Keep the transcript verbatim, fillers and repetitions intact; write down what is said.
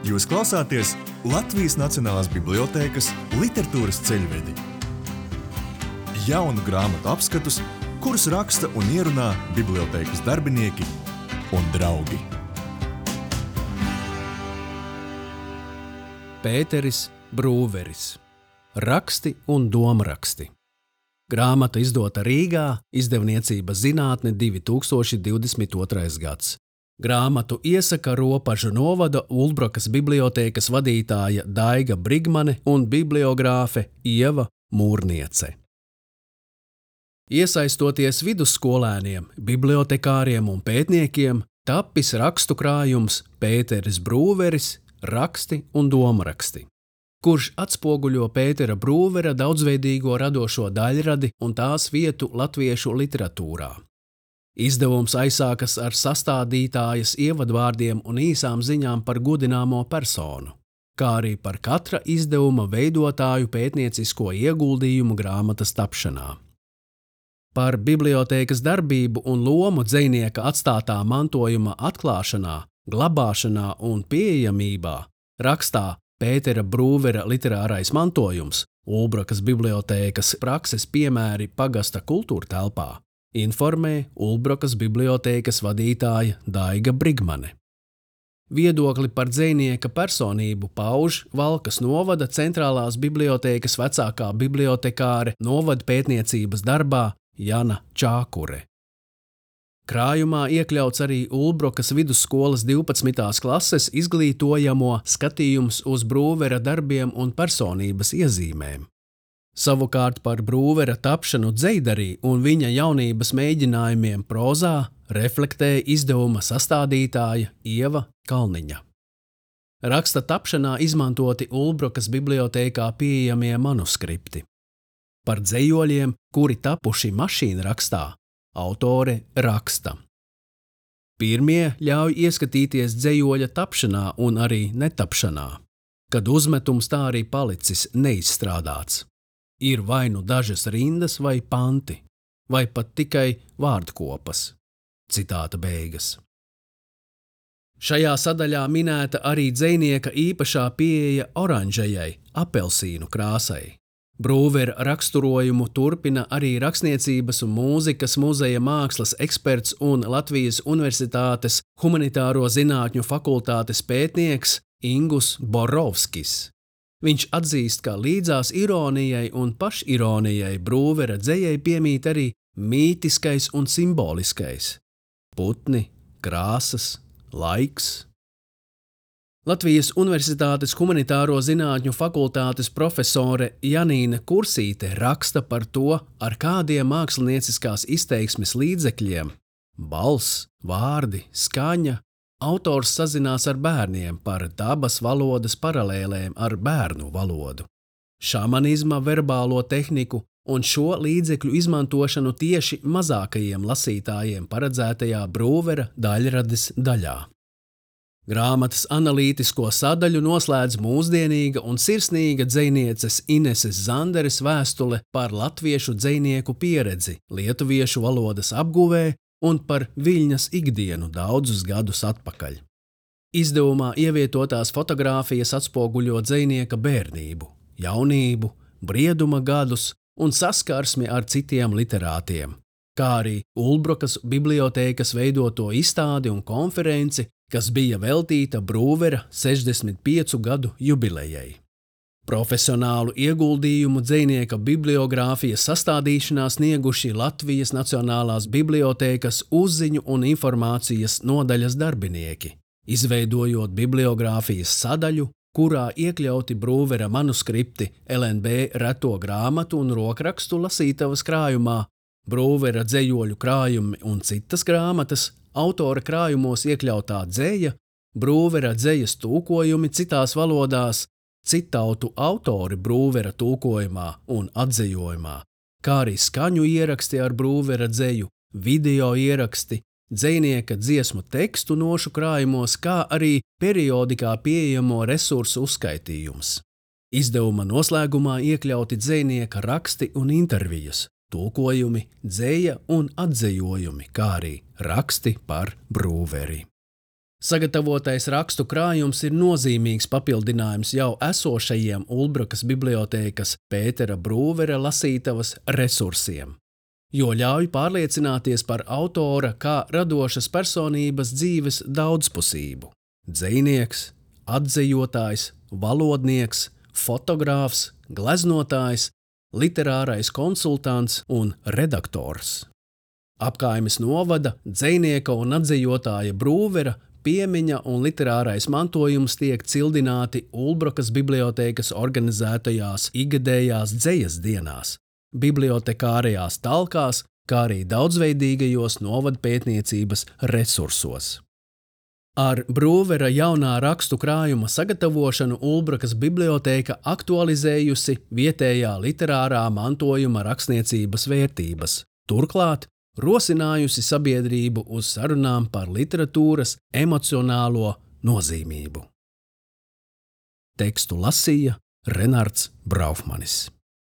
Jūs klausāties Latvijas Nacionālās bibliotēkas literatūras ceļvedi. Jaunu grāmatu apskatus, kurus raksta un ierunā bibliotēkas darbinieki un draugi. Pēteris Brūveris. Raksti un domraksti. Grāmata izdota Rīgā, izdevniecība Zinātne divi tūkstoši divdesmit otrais gads. Grāmatu iesaka Ropažu novada Ulbrokas bibliotēkas vadītāja Daiga Brigmane un bibliogrāfe Ieva Mūrniece. Iesaistoties vidusskolēniem, bibliotekāriem un pētniekiem, tapis rakstu krājums Pēteris Brūveris, raksti un domraksti, kurš atspoguļo Pētera Brūvera daudzveidīgo radošo daļradi un tās vietu latviešu literatūrā. Izdevums aizsākas ar sastādītājas ievadvārdiem un īsām ziņām par godināmo personu, kā arī par katra izdevuma veidotāju pētniecisko ieguldījumu grāmatas tapšanā. Par bibliotēkas darbību un lomu dzejnieka atstātā mantojuma atklāšanā, glabāšanā un pieejamībā rakstā Pētera Brūvera literārais mantojums, Ulbrokas bibliotēkas prakses piemēri pagasta kultūrtelpā, informē Ulbrokas bibliotēkas vadītāja Daiga Brigmane. Viedokli par dzejnieka personību pauž Valkas novada centrālās bibliotēkas vecākā bibliotekāre novada pētniecības darbā Jana Čākure. Krājumā iekļauts arī Ulbrokas vidusskolas divpadsmitās klases izglītojamo skatījums uz Brūvera darbiem un personības iezīmēm. Savukārt par Brūvera tapšanu dzejdarī un viņa jaunības mēģinājumiem prozā reflektē izdevuma sastādītāja Ieva Kalniņa. Raksta tapšanā izmantoti Ulbrokas bibliotēkā pieejamie manuskripti. Par dzejoļiem, kuri tapuši mašīnrakstā, autore raksta. Pirmie ļauj ieskatīties dzejoļa tapšanā un arī netapšanā, kad uzmetums tā arī palicis neizstrādāts. Ir vai nu dažas rindas vai panti, vai pat tikai vārdkopas. Citāta beigas. Šajā sadaļā minēta arī dzejnieka īpašā pieeja oranžajai, apelsīnu krāsai. Brūvera raksturojumu turpina arī Rakstniecības un mūzikas muzeja mākslas eksperts un Latvijas Universitātes humanitāro zinātņu fakultātes pētnieks Ingus Borovskis. Viņš atzīst, ka līdzās ironijai un pašironijai Brūvera dzejai piemīt arī mītiskais un simboliskais – putni, krāsas, laiks. Latvijas Universitātes humanitāro zinātņu fakultātes profesore Janīna Kursīte raksta par to, ar kādiem mākslinieciskās izteiksmes līdzekļiem – balss, vārdi, skaņa – autors sazinās ar bērniem par dabas valodas paralēlēm ar bērnu valodu, šamanizma verbālo tehniku un šo līdzekļu izmantošanu tieši mazākajiem lasītājiem paredzētajā Brūvera daļrades daļā. Grāmatas analītisko sadaļu noslēdz mūsdienīga un sirsnīga dzejnieces Ineses Zanderes vēstule par latviešu dzejnieku pieredzi lietuviešu valodas apguvē un par Viļņas ikdienu daudzus gadus atpakaļ. Izdevumā ievietotās fotogrāfijas atspoguļo dzejnieka bērnību, jaunību, brieduma gadus un saskarsmi ar citiem literātiem, kā arī Ulbrokas bibliotēkas veidoto izstādi un konferenci, kas bija veltīta Brūvera sešdesmit piecu gadu jubilejai. Profesionālu ieguldījumu dzejnieka bibliogrāfijas sastādīšanā snieguši Latvijas Nacionālās bibliotēkas uzziņu un informācijas nodaļas darbinieki, izveidojot bibliogrāfijas sadaļu, kurā iekļauti Brūvera manuskripti L N B reto grāmatu un rokrakstu lasītavas krājumā, Brūvera dzejoļu krājumi un citas grāmatas, autora krājumos iekļautā dzeja, Brūvera dzejas tūkojumi citās valodās, citautu autori Brūvera tulkojumā un atzejojumā, kā arī skaņu ieraksti ar Brūvera dzeju, video ieraksti, dzejnieka dziesmu tekstu nošu krājumos, kā arī periodikā pieejamo resursu uzskaitījums. Izdevuma noslēgumā iekļauti dzejnieka raksti un intervijas, tulkojumi, dzeja un atzejojumi, kā arī raksti par Brūveri. Sagatavotais rakstu krājums ir nozīmīgs papildinājums jau esošajiem Ulbrakas bibliotēkas Pētera Brūvera lasītavas resursiem, jo ļauj pārliecināties par autora kā radošas personības dzīves daudzpusību. Dzejnieks, atzejotājs, valodnieks, fotogrāfs, gleznotājs, literārais konsultants un redaktors. Apkaimes novada, dzejnieka un atzejotāja Brūvera piemiņa un literārais mantojums tiek cildināti Ulbrakas bibliotēkas organizētajās ikgadējās dzejas dienās, bibliotekārajās talkās, kā arī daudzveidīgajos novadpētniecības resursos. Ar Brūvera jaunā rakstu krājuma sagatavošanu Ulbrakas bibliotēka aktualizējusi vietējā literārā mantojuma rakstniecības vērtības, turklāt rosinājusi sabiedrību uz sarunām par literatūras emocionālo nozīmību. Tekstu lasīja Renards Braufmanis.